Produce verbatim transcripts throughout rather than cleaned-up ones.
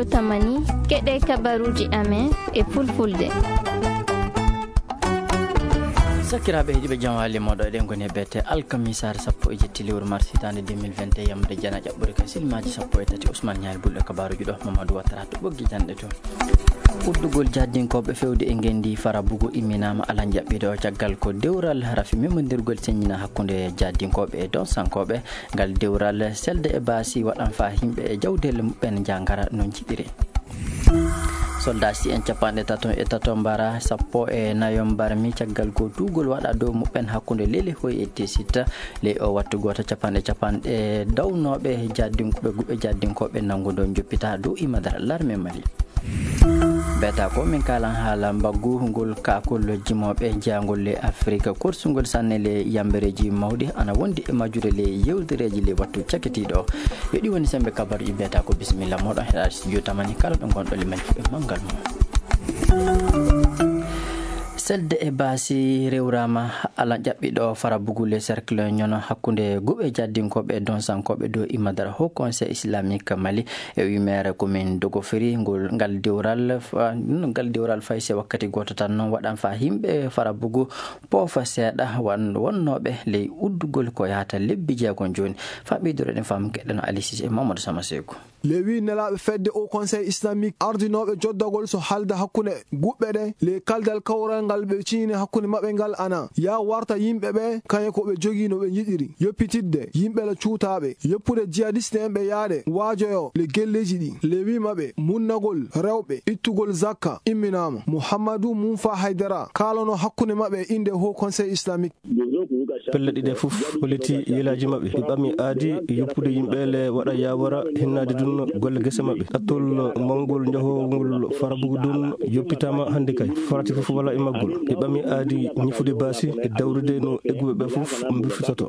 Tamani, keɗe kabaruuji amen e fulfulde. Sakiraaɓe heɗiiɓe, jam wali moɗo, eɗen ngoni e beete alkamisaare sappo e jetti lewru mars hitaande deux mille vingt et un, yamde jana ƴaɓɓude ka silmaaji sappo e tati. Ousmane Ñaari Bul e kabaaruuji ɗo, Mamadou Ouattara to ɓoggi janɗe to. Uddugol jaddinkooɓe fewde e ngenndi Farabugu imminaama alan jaɓɓiiɗo caggal ko dewral rafi memondirgol seññina hakkunde jaddinkooɓe e donsankooɓe. Ngal dewral selde e baasi waɗan faa yimɓe e jawdeele muɓɓen njangara no njiɗiri. Soldaasi'en capanɗe tato e tato mbara sappo e nayo mbarmi caggal ko tuugol waɗa dow muɓɓen hakkunde Lelehoy e Tesitta. Ley o wattu gooto capanɗe capanɗe dawnooɓe jaddinkooɓe guɓe jaddinkooɓe nanngudo njoppita dow imadara larme Mali. Beeta ko min kaalan haala mbaggu ngol kaakol jimooɓe jeyangol le Afrik, korsungol sanne le yambereeji mawɗi ana wondi e majjude le yewtereeji le wattu cakitiiɗo. Yo ɗi woni sembe kabaruuji. Beeta ko bisimilla moɗon heɗa studio tamani kala ɗo ngonɗo le mel fuɗe manngal mum. Selde e baasi rewraama ala ƴaɓɓiɗo Farabugu le cercle ñono hakkunde guɓe jaddinkooɓe e donsankooɓe dow imadara Haut Conseil Islamique Mali. E wimeere ko min dogofiri ngol, ngal dewral fa-, ngal dewral fayse wakkati gooto tan noon waɗan faa yimɓe Farabugu poofa seeɗa wan-, wonnooɓe ley uddugol ko yahata lebbi jeegom jooni. Faa ɓeydoreɗen faamu keɗɗeno Alisis e Mamadou Sama Seeku. Le wi nelaaɓe fedde Haut Conseil Islamique ardinooɓe joddagol so halda hakkunde guɓɓe ɗe, le kaldal kawral ngal ɓe ciini hakkunde maɓɓe ngal ana ya warta yimɓe ɓe kañe ko ɓe jogii no ɓe njiɗiri. Yoppitidde yimɓe la cuutaaɓe, yoppude jihadiste en ɓe yaade waajoyo le gelleeji ɗi. Le wi maɓɓe munnagol rewɓe, ittugol zakka imminaama. Muhammadu Munfa Haydara kaalano hakkunde maɓɓe innde Haut Conseil Islamique. Pelle ɗiɗe fof holliti yelaaji maɓɓe. Ɗi ɓami aadi yoppude yimɓe le waɗa yawara hinnaade ɗum golle gese maɓɓe. Attol mawngol njahowol Farabugu ɗum yoppitaama hannde kay. Farati fof wala e maggol. Ɗi ɓami aadi ñifude baasi e dawrude no egguɓe ɓe fof mbirfitoto.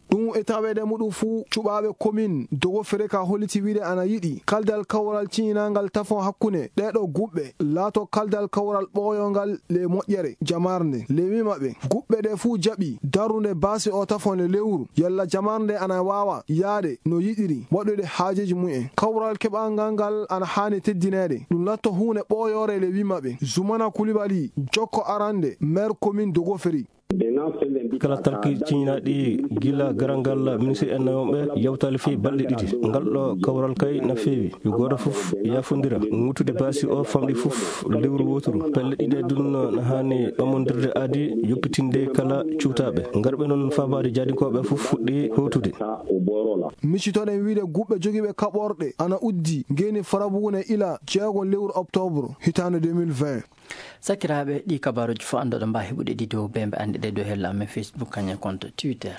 Ɗum e taweede muɗum fuu, cuɓaaɓe commune Dogofere ka holliti wiide ana yiɗi kaldal kawral ciñinangal tafon hakkunde ɗeeɗo guɓɓe laato kaldal kawral ɓooyongal le moƴƴere jamarnde. Le wi maɓɓe, guɓɓe ɗe fuu jaɓi darrude baasi o tafon le lewru, yalla jamarnde ana waawa yaade no yiɗiri waɗude haajeeji mumen. Kawral keɓangal ngal ana haani teddineede. Ɗum latto huunde ɓooyoore le wi maɓɓe. Zumana Kulibali, jokko arande, maire commune Dogofere. Kala talki ciñinaaɗi gila garal ngal ministre en nayo ɓe yawtaali fii balɗe ɗiɗi. Ngal ɗo kawral kay na feewi. Yo gooto fof yaafondira. Ŋuutude baasi o famɗi fof lewru wooturu. Pelle ɗiɗe ɗum no haani ɓamondirde aadi yoppitinde kala cuutaaɓe. Ngarɓe noon faabaade jaadinkooɓe fof fuɗɗi hootude. Micitoɗen wiide guɓɓe jogiiɓe kaɓorɗe ana uddi ngeni Farabugu ne ila jeego lewru octobre hitaande deux mille vingt. Sakiraaɓe, ɗi kabaaruuji fof anndoɗo mbaa heɓude ɗi dow bembe annde ɗe dow hella amen Facebook kañum e compte Twitter.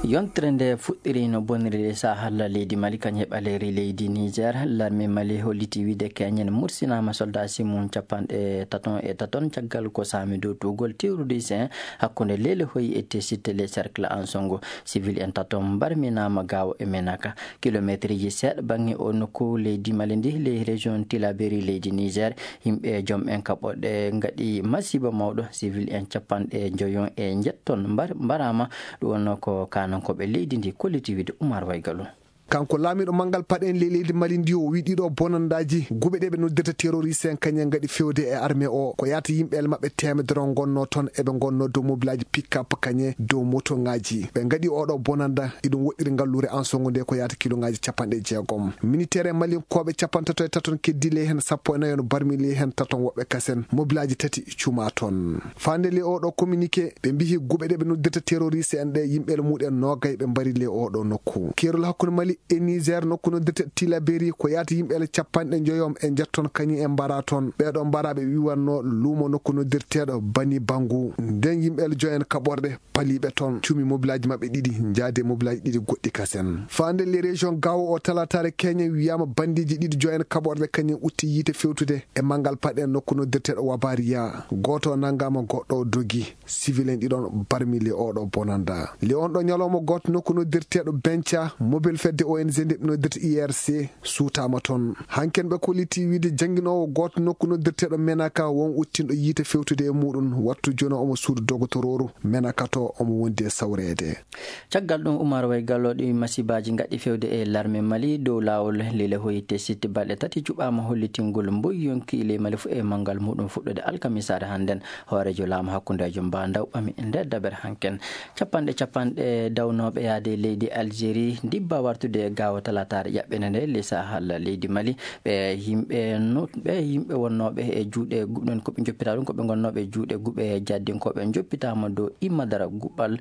Yontere nde fuɗɗiri no boniri de sahalla leydi Mali kañum e ɓaleeri leydi Niger. Larme Mali holliti wiide keñen mursinaama soldasi mum capanɗe taton e taton caggal ko saami dow tuugol terroriste en hakkunde Lelehoy e Tesitte le cercle Ansongo. Civil en taton mbarminaama gaawo e Menaka. Kilomeeterji seeɗa baŋŋe o nokku leydi Mali ndi, ley région Tilaberi leydi Niger, yimɓe joom en kaɓorɗe ngaɗi masiiba mawɗo. Civil en capanɗe njoyon e njetton mbar-, mbaraama. Ɗum wonno ko kaanankooɓe leydi ndi kolliti wiide Umar Waygalu. Kanko laamiiɗo manngal paɗen ley leydi Mali ndi, o wi'i ɗiɗo bonandaaji guɓe ɗe ɓe noddirta terroriste en kañum ngaɗi fewde e armée o. Ko yaata yimɓe el maɓɓe teemedere on ngonnoo toon, eɓe ngonnoo dow mobilaaji pick-up kañe dow motoŋaaji. Ɓe ngaɗi oɗo bonanda, iɗum woɗɗiri ngalluure Ansongo nde ko yaata kiloŋaaji capanɗe jeegom. Militeer e Malinkooɓe capantato e taton keddi ley heen sappo e nayo no barmi ley heen taton woɓɓe kasen. Mobilaaji tati cuma toon. Faande ley oɗo communiqué, ɓe mbihi guɓe ɗe ɓe noddirta terroriste en ɗe, yimɓe el muɗen noogay ɓe mbari ley oɗo nokku. Keerol hakkunde Mali e Niger nokku noddirte Tilaberi ko yaata yimɓe ele capanɗe njoyom e njetton kañum e mbara toon. Ɓeeɗo mbara ɓe wiwanno luumo nokku noddirteeɗo Bani Bangu. Nden yimɓe ele joyen kaɓorɗe paliɓe toon. Cumi mobilaaji maɓɓe ɗiɗi, njaade mobilaaji ɗiɗi goɗɗi kasen. Faande le région Gao o talataare Kenya wiyama bandiji ɗiɗi joyen kaɓorɗe kañum utti yiite fewtude e manngal paɗe nokku noddirteeɗo Wabariya. Gooto nangama, goɗɗo o dogi. Civil en ɗiɗon barmi le oɗo bonanda. Le on ɗo ñalawma gooto nokku noddirteeɗo Benca, mobile fedde O N G nde ɓe noddirta I R C suutaama toon. Hanken ɓe kolliti wiide jannginoowo gooto nokku noddirteeɗo Menaka won uttinɗo yiite fewtude e muɗum wattu jono omo suudu dogotorooru Menaka to omo wondi e sawreede. Caggal ɗum, Umar Way Gallo ɗi masibaaji ngaɗi fewde e larme Mali dow laawol Lile Hoyte Sitti balɗe tati cuɓaama hollitingol mboyi yonki ley Mali fu e manngal muɗum fuɗɗude alkamisaare hannden. Hooreejo laamu hakkundeejo mba ndaw ɓami e nder dabere hanken. Capanɗe capanɗe dawnooɓe yaade leydi Algérie ndibba wartude e gaawo talataare ƴaɓɓende nde ley Sahel leydi Mali. Ɓe yimɓe no-, ɓe yimɓe wonnooɓe e juuɗe guɓɗen ko ɓe njoppita ɗum, ko ɓe ngonnooɓe e juuɗe guɓe jaddinkooɓe njoppitaama dow imma dara guɓal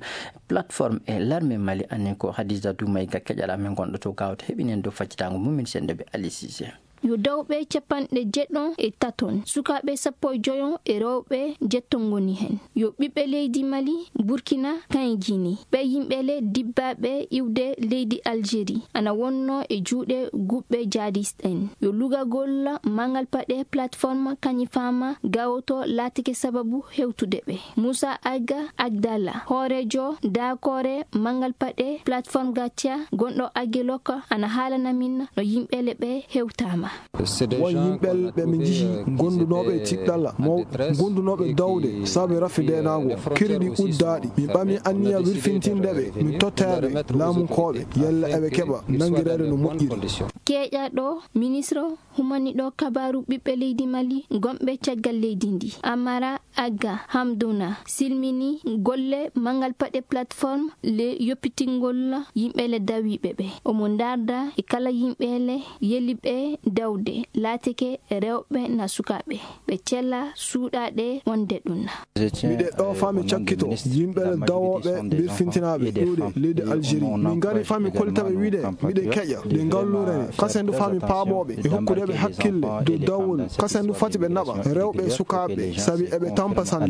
plateforme e larme Mali. Anin ko Hadiza Doumaïga keƴal amen gonɗo to gaawo to heɓinen dow faccitaango mum min senndoɓe Ali Cissé. Yo dawɓe capanɗe jeɗɗo e taton, sukaaɓe sappo e joyo e rewɓe jetto ngoni heen. Yo ɓiɓɓe leydi Mali, Burkina, Kayen Gini. Ɓee yimɓe le dibbaaɓe iwde leydi Algérie, ana wonnoo e juuɗe guɓɓe jihadiste en. Yo lugagol manngal paɗe plateforme kañi faama gawoto laatike sababu hewtude ɓe. Moussa Agga Agdala, hooreejo daakoore manngal paɗe plateforme Gatia, gonɗo Aguelok, ana haalana min no yimɓe le ɓe hewtaama. Won yimɓe ɓe ɓe njiyi gondunooɓe e tiɗɗalla mawɗo, gondunooɓe dawde sabu rafi ndeenaagu, kiri ɗi uddaaɗi. Min ɓami anniya wirfintinde ɓe, min totta ɓe laamunkooɓe, yalla eɓe keɓa nanngireede no moƴƴiri. Keeƴaɗo ministre humaniɗo kabaaru ɓiɓɓe leydi Mali gonɓe caggal leydi ndi, Amara Agga Hamdouna, silmini golle manngal paɗe plateforme le yoppitingol yimɓe le dawiiɓe ɓe. Omo ndaarda e kala yimɓe le yeliɓe dawde, laatike rewɓe na sukaaɓe. Ɓe cella suuɗaaɗe wonde ɗum na. Miɗe ɗo fami cakkito yimɓe le dawooɓe mbirfintinaaɓe ɗuuɗe leydi Algérie. Min ngari fami kollitaɓe wiide miɗe keƴa ɗe ngallurene. Kasen du fami paaɓooɓe e hokkudeɓe hakkille dow dawol. Kasen du fati ɓe naɓa rewɓe e sukaaɓe sabi eɓe tampa sanne.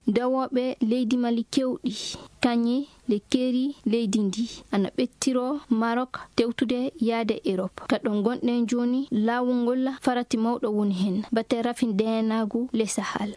Dawooɓe leydi Mali kewɗi, kañe le keeri leydi ndi, ana ɓettiro Maroc tewtude yaade Europe. Ka ɗo ngonɗen jooni, laawol ngol farati mawɗo woni heen. Bate rafi ndeenaagu le Sahel.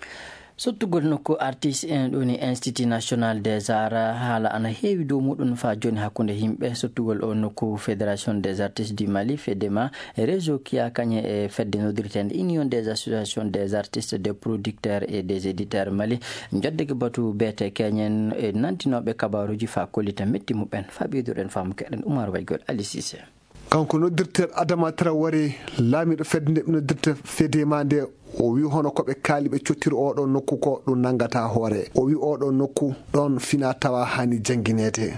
Sottugol nokku artiste en ɗo ni Institut National des Arts, haala ana heewi dow muɗum faa jooni hakkunde yimɓe. Sottugol o nokku Fédération des Artistes du Mali, fedema, réseau kiya kañe e fedde noddirteende Union des Associations des Artistes, des Producteurs et des Éditeurs Mali, njoddeke batu beete keñen e nantinooɓe kabaaruuji faa kollita metti muɓɓen. Faa ɓeyduɗen faamu keɗen Umar Waygol Ali Cissé. Kanko noddirteeɗo Adama Traoré, laamiiɗo fedde nde ɓe noddirta fedema nde, o wi hono ko ɓe kaali ɓe cottiri oɗo nokku ko ɗum nanngata hoore. O wi oɗo nokku ɗoon fina tawa hani janngineede.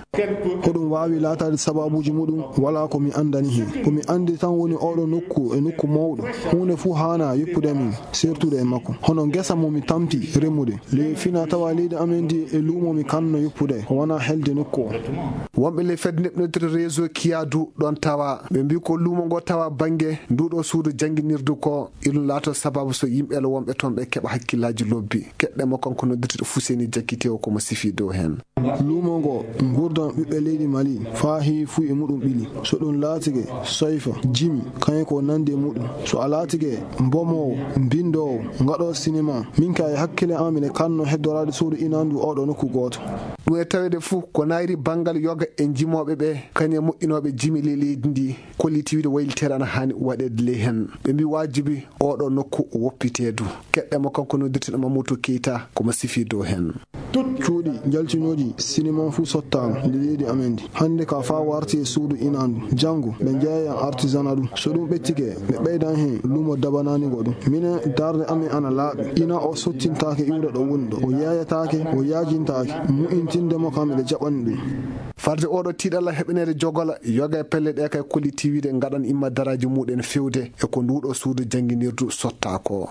Hoɗum waawi laataade sababuuji muɗum? Walaa ko mi anndani heen. Ko mi anndi tan woni oɗo nokku e nokku mawɗo. Huunde fuu haana yoppude min, sertude e makko. Hono ngesa mo mi tampi remude. Ley fina tawa leydi amen ndi e luumo mi kanno yoppude. Ko wona helde nokku o. Wonɓe ley fedde nde ɓe noddirta réseau Kiyadu ɗoon tawa. Ɓe mbii ko luumo ngo tawa bannge nduɗo suudu jannginirdu ko. Iɗum laato sababu so yimɓe le wonɓe toon ɓe keɓa hakkillaaji lobbi. Keɗɗe mo kanko noddirteeɗo Fuseni Jakite o ko mo sifi dow heen. Luumo ngo, nguurndam ɓiɓɓe leydi Mali, faa heewi fuu e muɗum ɓili. So ɗum laatike, soyfa, jimi, kañum ko nanndi e muɗum. So a laatike, mbomoowo, mbinndoowo, ngaɗoowo sinema, min kay e hakkille am miɗo kanno heddoraade suudu inaandu oɗo nokku gooto. Ɗum e taweede fuu ko nayri banngal yoga e njimooɓe ɓe, kañum e moƴƴinooɓe jimi ley leydi ndi, kolliti wiide wayliteere ana haani waɗeede ley heen. Ɓe mbii waajibi oɗo nokku woppiteedu. Keɗɗe mo kanko noddirteeɗo Mamadou Keita ko mo sifi dow heen. Cuuɗi njaltinooji sinema fuu sottaama nde leydi amen ndi. Hannde ka faa warti e suudu inaandu. Janngo, ɓe njeeyan artisanat ɗum. So ɗum ɓettike, ɓe ɓeydan heen luumo dabanaani ngo ɗum. Minen, darnde amen ana laaɓi. Ina o sottintaake iwde ɗo woni ɗo. O yeeyataake, o yaajintaake. Mu'intinde mo kam, eɗe jaɓani ɗum. Farde oɗo tiiɗalla heɓineede jogola, yoga e pelle ɗe kay kolliti wiide ngaɗan imma daraaji muɗen fewde e ko nduɗo suudu jannginirdu sotta ko.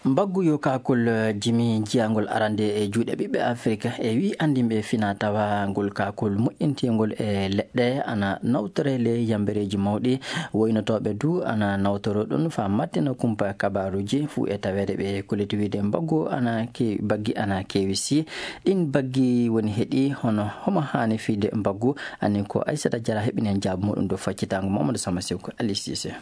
Mbaggu yo kaakol, eh, jimi jiyangol arande e juuɗe ɓiɓɓe Afirka e wi anndinɓe fina tawa ngol kaakol moƴƴintingol e leɗɗe ana nawtore ley yambereeji mawɗi. Woynotooɓe du ana nawtoro ɗum faa mattina kumpa kabaaruuji fuu e taweede ɓe kolliti wiide mbaggu ana ke-, baggi ana keewi si. Ɗin baggi woni heɗi hono homo haani fiyde mbaggu, ani ko Aissata Diarra heɓinen jaabu muɗum dow faccitaango Mamadou Samba Sew ko Ali Cissé.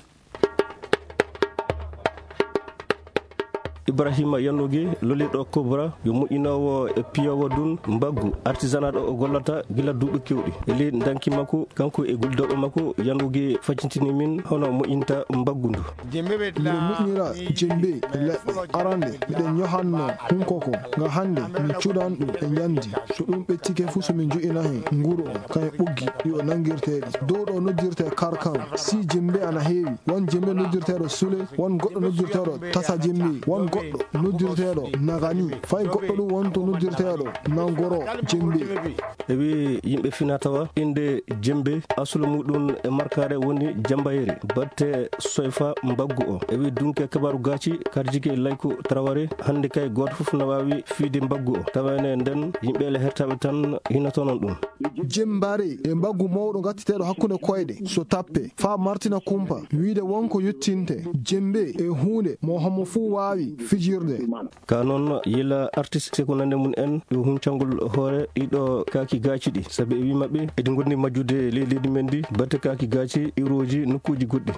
Ibrahima Yannugi, lolirɗo Cobra, yo moƴƴinoowo e piyoowo dun mbaggu artisanat o gollata gila duuɓi kewɗi. E ley ndanki makko, kanko e gollidooɓe makko, Yannugi facintini min hono moƴƴinta mbaggu ndu. Miɗen moƴƴinira jembe e leɗɗe. Arande, miɗen ñohanno hunkoko, nga hande min cuudan ɗum e njandi. So ɗum ɓettike fu, so min njo'ina hen nguru on, kañum ɓoggi ɗi o nanngirtee ɗi. Dow ɗo noddirtee karkan. Si jembe ana heewi, won jembe noddirteeɗo sule, won goɗɗo noddirteeɗo tasa jembe, won goɗɗo noddirteeɗo nagani, fay goɗɗo ɗum won to noddirteeɗo nangoro jembe. E wi yimɓe fina tawa innde jembe, asulu muɗum e markaare woni jambayere, batte soyfa mbaggu o. E wi dunke kabaru gaaci, karjike layku taraware, hannde kay gooto fof na waawi fiide mbaggu o. Tawa ene nden yimɓe le hertaɓe tan hinotonon ɗum. Jembaare e mbaggu mawɗo gattiteeɗo hakkunde koyɗe, so tappe, faa martina kumpa, wiide won ko yottinte, jembe e huunde mo homo fuu waawi fijirde. Ka noon, yila artiste ko nande mum en, yo huncangol hoore ɗiɗo kaaki gaaci ɗi, sabi e wi maɓɓe, eɗi ngondi majjude ley leydi men ndi, batte kaaki gaaci, iwrooji, nokkuuji goɗɗi.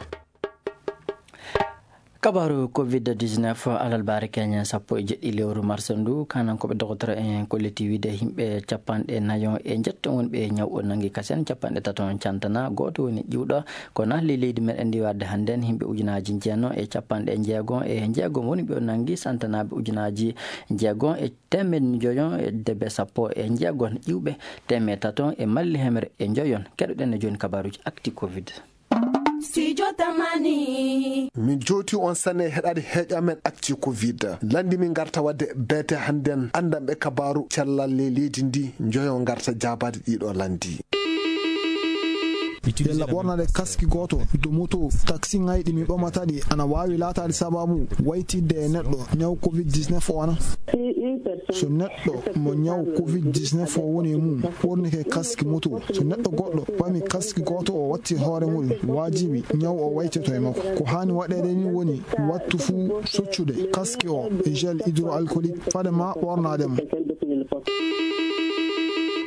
Kabaaru covid dix-neuf, alarba keñen sappo e jeɗɗi lewru mars ndu, kanankooɓe dogotoro en kolliti wiide yimɓe capanɗe nayo e njetto wonɓe ñaw o nangi kasen, capanɗe tato on cantana, gooto woni ƴiwɗo. Kono ley leydi meɗen ndi warde hannden, yimɓe ujunaaji jeenayo e capanɗe jeego e jeegom woni ɓe o nangi, santanaaɓe ujunaaji jeego e teemeɗe njoyo e debe sappo e jeegom, ƴiwɓe teemeɗe tato e malli hemre e njoyon. Keɗoɗen e jooni kabaaruuji actu covid. Studio Tamani. Min jooti on sanne heɗaade heeƴo amen actu covid. Lanndi min ngarta wadde beete hannden anndanɓe kabaaru cellal ley leydi ndi njoyo ngarta jaabaade ɗiɗo lanndi. Yalla ɓornade kaski gooto dow moto, taxi ŋayɗi mi ɓamata ɗi ana waawi laataade sababu waytidde e neɗɗo ñaw covid dix-neuf o ana? So neɗɗo mo ñaw covid dix-neuf o woni e mum ɓornike kaski moto, so neɗɗo goɗɗo ɓami kaski gooto o watti hoore muɗum, waajibi ñaw o waytito e makko. Ko haani waɗeede ni woni wattu fuu soccude kaski o e gel hydroalcoolique fade ma ɓornaade mo.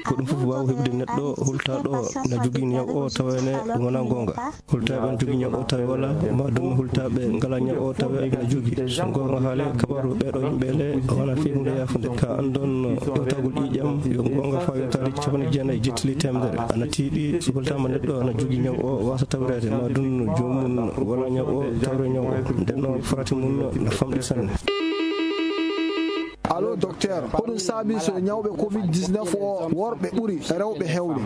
Ko ɗum fof waawi heɓude neɗɗo hultaaɗo na jogii ñaw o tawa ene ɗum wonaa goonga. Hultaaɓe na jogii ñaw o tawa wala, ma ɗum hultaaɓe ngalaa ñaw o tawa na jogii. So goonga haale, kabaaru ɓeeɗo yimɓe le wonaa fii huunde yaafunde. Ka anndon ƴeewtagol ƴiiƴam, yo goonga faa yottaade capanɗe jeenayi jettili teemedere. Ana tiiɗi, so hultaama neɗɗo na jogii ñaw o waasa tawreede, ma ɗum joomum wala ñaw o tawre ñaw o. Nden noon farati mum na famɗi sanne. Allo, docteur, ko ɗum saabi so ñawɓe covid dix-neuf o worɓe ɓuri rewɓe heewde?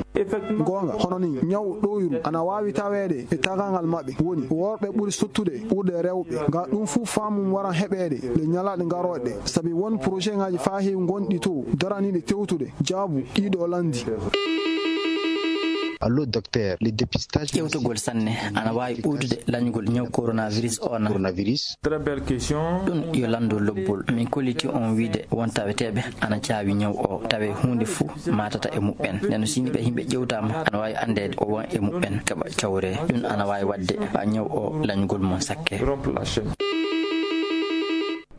Goonga, hono ni ñaw ɗoyru ana waawi taweede e tagangal maɓɓe. Woni worɓe ɓuri sottude ɓurde rewɓe. Nga ɗum fuu faamum waran heɓeede ɗe ñalaaɗe garooɗe. Sabi won projet ŋaaji faa heewi ngonɗi to daraniiɗe tewtude jaabu ɗiɗo lanndi. Allo, docteur, le dépistage. Ƴewtogol sanne ana waawi ɓeydude lañgol ñaw coronavirus o na? Coronavirus. Très belle question. Ɗum yo lanndo lobbol. Min kolliti on wiide won taweteeɓe ana caawi ñaw o. Tawe huunde fuu maatata e muɓɓen. Nden si yimɓe, yimɓe ƴewtaama, ana waawi anndeede o won e muɓɓen, keɓa cawre. Ɗum ana waawi waɗde faa ñaw o lañgol mum sakke.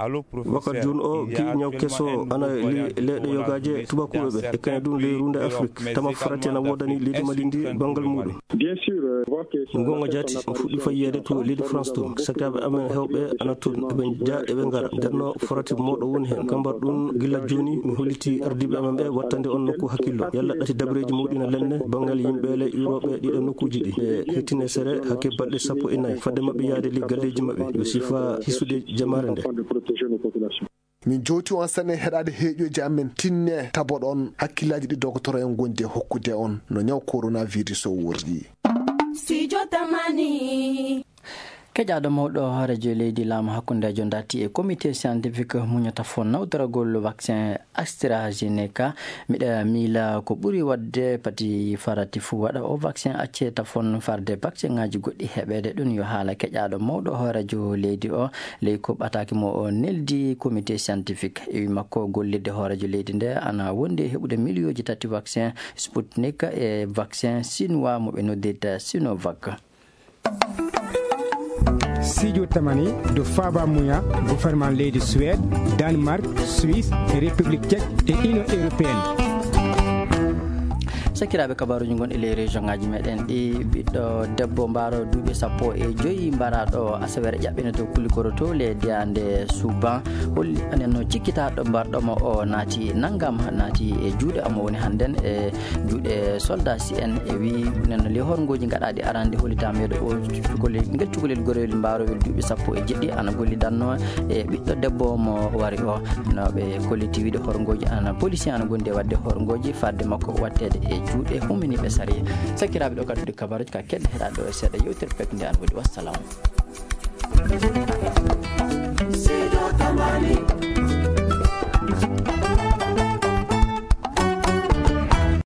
Allo, professeur. Wakkat jooni o, kii ñaw keso ana ley leyɗe yogaaje tubakuuɓe ɓe, e kañum ɗum ley ruunde Afrik. Tama farati ana woodani leydi Mali ndi banngal muɗum. Bien sûr, euh, je vois que sur la Goonga jaati, on fuɗɗi fayyeede to leydi France to. Sakkaaɓe amen heewɓe ana toon, eɓe njaa, eɓe ngara. Nden no farati mawɗo woni heen. Kambar ɗum, gila jooni, mi holliti ardiiɓe amen ɓe wattande on nokku hakkillo. Yalla ɗati dabareeji mawɗi na lenne banngal yimɓe le iwrooɓe ɗiɗo nokkuuji ɗi. Ɓe hettine sere hakke balɗe sappo e nayi. Fadde maɓɓe yahde ley galleeji maɓɓe. Yo sifa hisude jamaare nde. Min jowti on sanne heɗaade heeƴooji amen. Tinne taboɗon hakkillaaji ɗi dogotoro en ngondi e hokkude on no ñaw coronavirus o worri. Studio Tamani. Keƴaaɗo mawɗo hooreejo leydi laamu hakkundeejo darti e comité scientifique muñata fo nawtoragol vaccin AstraZeneca. Miɗa miila ko ɓuri waɗde pati farati fuu waɗa o vaccin, accee tafon farde vaccin ŋaaji goɗɗi heɓeede. Ɗum yo haala keƴaaɗo mawɗo hooreejo leydi o ley ko ɓataaki mo o neldi comité scientifique. E wi makko, gollirde hooreejo leydi nde ana wondi e heɓude miliyooji tati vaccin Sputnik e vaccin chinois mo ɓe noddirta Sinovac. Studio Tamani, ɗo faaba muya gouvernement leydi Suède, Danemark, Suisse, République Tchèque e Union Européenne. Sakiraaɓe, kabaruuji gonɗi ley région ngaji meɗen ɗi, ɓiɗɗo debbo mbaaro duuɓi sappo e joyi mbaraaɗo asaweere ƴaɓɓino to Kulikoro to le diyaande Suban, holli anen no cikkitaaɗo mbarɗo mo o naati nanngam, naati e juuɗe amo woni hannden e juuɗe soldat si en e wi nen no le horngooji gaɗaaɗi arande hollitaama yeeɗo o cukalel, ngel cukalel gorel mbaarowel duuɓi sappo e jeɗɗi ana gollidanno e ɓiɗɗo debbo mo wari o. No ɓe kolliti wiide horngooji ana policier ana gondi e waɗde horngooji fadde makko watteede e juuɗe huminiiɓe sariya. Sakiraaɓe, ɗo kaddude kabaruuji ka keɗɗe heɗaade ɗo e seeɗa yewtere pekde ana waɗi. Wassalamu.